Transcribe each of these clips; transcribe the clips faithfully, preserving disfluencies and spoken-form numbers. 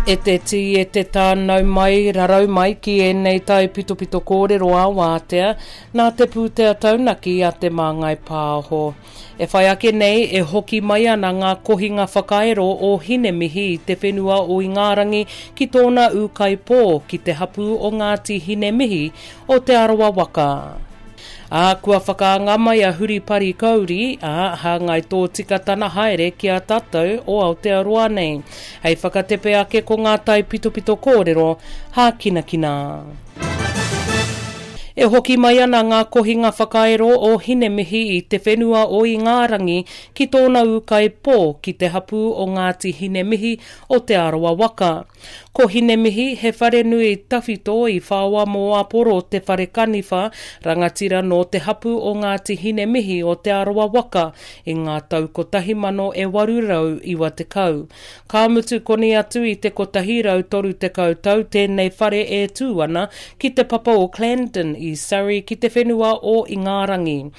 E te tī, e te tā, nau mai, rarau mai ki ēnei taipitopito kōrero ā wātea nā te pūtea taunaki a Te Māngai Pāho. E whai ake nei, e hoki mai ana ngā kohinga whakaero o Hinemihi i te whenua o Ingarangi ki tōna ūkaipō ki te hapū o Ngāti Hinemihi o Te Arawa waka. Ā, kua whakaanga mai a Huripari Kauri, ā, hāngai tōtika tana haere ki a tātou o Aotearoa nei. Hei whakatepe ake ko ngā taipitopito kōrero hākinakina. E hoki mai ana ngā kohinga whakaero o Hinemihi i te whenua o Ingarangi ki tōna ūkaipō ki te hapū o Ngāti Hinemihi o Te Arawa waka. Ko Hinemihi he wharenui tawhito i whaoa mō Aporo Te Whare Kaniwha, rangatira nō te hapū o Ngāti Hinemihi o Te Arawa waka i ngā tau kotahi mano e waru rau iwa tekau. Ka mutu koni atu i te kotahi rau toru tekau tau tēnei whare e tū ana ki te papa o Clandon i Surrey ki te whenua o Ingarangi.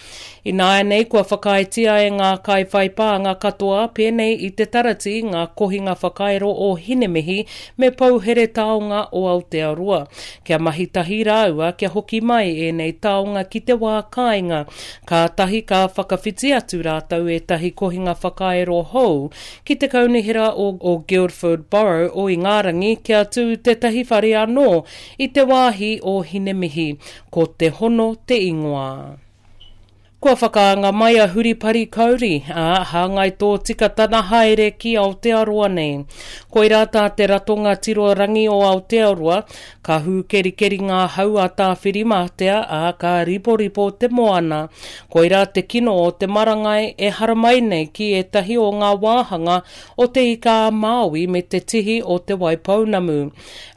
Ināianei kua whakaaetia e ngā kaiwhaipānga katoa pēnei i te tarati ngā kohinga whakaero o Hinemihi me Pouhere Taonga o Aotearoa. Kia mahi tahi rāua kia hoki mai ēnei taonga ki te wā kāinga. Kātahi ka whakawhiti atu rātou ētahi kohinga whakaero hou ki te kaunihera o, o Guildford Borough o Ingarangi kia tū tētahi whare anō i te wāhi o Hinemihi. Ko Te Hono te ingoa. Kua whakaanga mai a Huripari Kauri, ā, hāngai tōtika tana haere ki Aotearoa nei. Koirā tā te Ratonga Tiro Rangi o Aotearoa, ka hūkerikeri ngā hau a Tāwhirimātea, ā, ka riporipo te moana. Koirā te kino o te marangai e haramai nei ki ētahi o ngā wāhanga o Te Ika-a-Māui me te tihi o Te Waipounamu.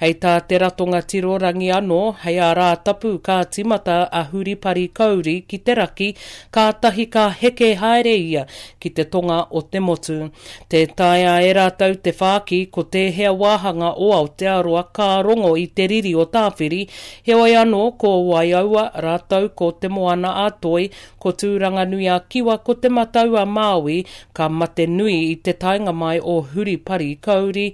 Hei tā te Ratonga Tiro Rangi anō, hei ā Rātapu ka tīmata a Huripari Kauri ki te raki, kātahi ka heke haere ia ki te tonga o te motu. Tē taea e rātou te whāki ko tēhea wāhanga o Aotearoa ka rongo i te riri o Tāwhiri, heoi anō ko Waiaua rātou ko Te Moana-a-Toi, ko Tūranganui-a-Kiwa, ko Te Matau-a-Māui ka mate nui i te taenga mai o Huripari Kauri,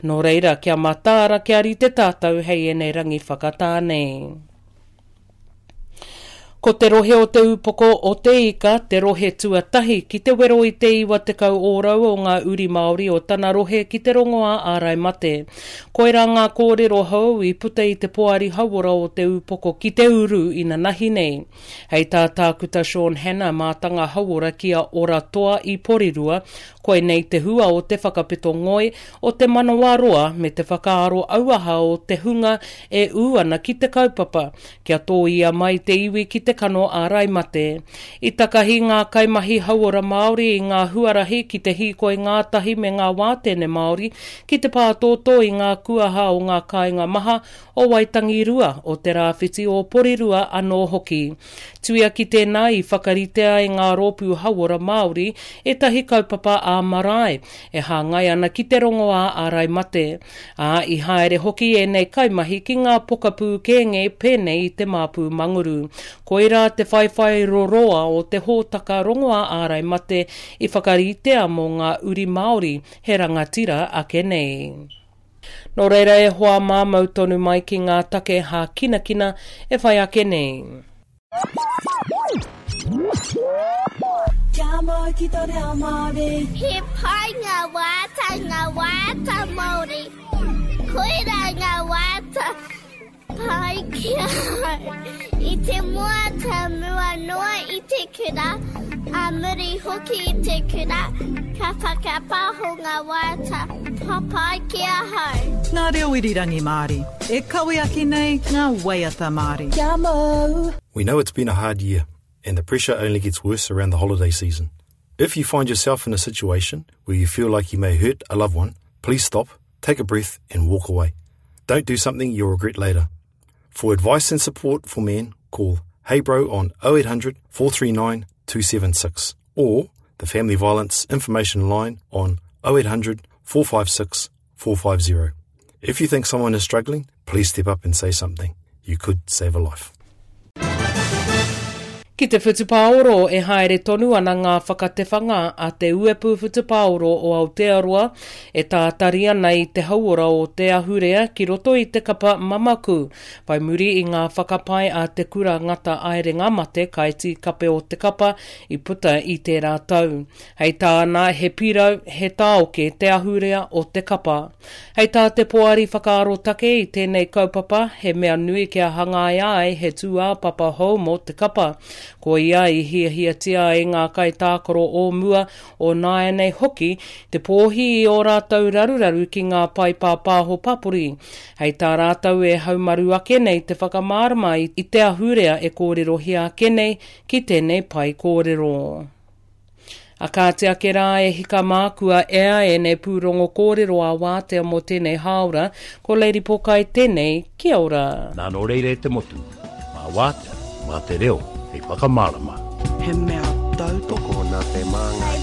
nō reira kia mataara kia rite tātou hei ēnei rangi whakatā nei. Ko te rohe o Te Ūpoko o Te Ika te rohe tuatahi ki te wero i te iwa tekau ōrau o ngā uri Māori o tana rohe ki te rongoā ārai mate. Koirā ngā kōrero hou i puta i te Poari Hauora o Te Ūpoko ki te Uru inanahi nei. Hei tā Tākuta Sean Hanna, mātanga hauora ki a Ora Toa i Porirua, koinei te hua o te whakapeto ngoi, o te manawaroa me te whakaaro auaha o te hunga e ū ana ki te kaupapa, kia tōia mai te iwi ki te kano ārai mate. I takahi ngā kaimahi hauora Māori i ngā huarahi ki te hīkoi ngātahi me ngā wātene Māori ki te pātōtō i ngā kuaha o ngā kāinga maha o Waitangirua, o Te Rāwhiti o Porirua anō hoki. Tuia ki tēnā i whakaritea e ngā rōpū hauora Māori ētahi kaupapa ā-marae e hāngai ana ki te rongoā ārai mate. Ā, i haere hoki ēnei kaimahi ki ngā pokapū kēnge pēnei i te Māpū Manguru. Koirā te whaiwhai roroa o te hōtaka rongoā ārai mate i whakaritea mō ngā uri Māori he rangatira ake nei. Nō reira e hoa mā mau tonu mai ki ngā take hākinakina e whai ake nei. Kia mau ki tō reo Māori. He pai ngā waiata, ngā waiata Māori. Koirā ngā waiata pai ki ahau. I te moata mua noa i te kura, ā muri hoki i te kura, ka whakapaho ngā waiata papai ki ahau. Ngā reo irirangi Māori, e kawe ake nei ngā waiata Māori. Kia mau. We know it's been a hard year, and the pressure only gets worse around the holiday season. If you find yourself in a situation where you feel like you may hurt a loved one, please stop, take a breath, and walk away. Don't do something you'll regret later. For advice and support for men, call Hey Bro on oh eight hundred, four three nine, two seven six or the Family Violence Information Line on oh eight hundred, four five six, four five zero. If you think someone is struggling, please step up and say something. You could save a life. Ki te whutupaoro e haere tonu ana ngā whakatewhanga a te Uepu Whutupaoro o Aotearoa e tātari ana i te hauora o te ahurea ki roto i te kapa mamaku. Whai muri i ngā whakapae a te kura ngata aerenga mate kaiti kape o te kapa i puta i tērā tau. Hei tāna he pirau, he tāoke te ahurea o te kapa. Hei tā te poari whakaarotake i tēnei kaupapa, he mea nui kia hangaia ai he tūāpapa hou mō te kapa. Ko ia i hiahiatia ai ngā kaitākaro o mua o nāianei hoki te pōhi i ō rātou raruraru ki ngā pae pāpāho papori. Hei tā rātou e haumaru ake nei te whakamārama i te ahurea e kōrerohia ake nei ki tēnei pae kōrero. A kāti ake rā e hika mākua ea e nei pūrongo kōrero a wātea mō tēnei hāora, ko Lady Pokai tēnei, kia ora. Nā nō reire te motu, mā wātea, mā te reo, hei whakamārama. He mea tautoko nā te māngai.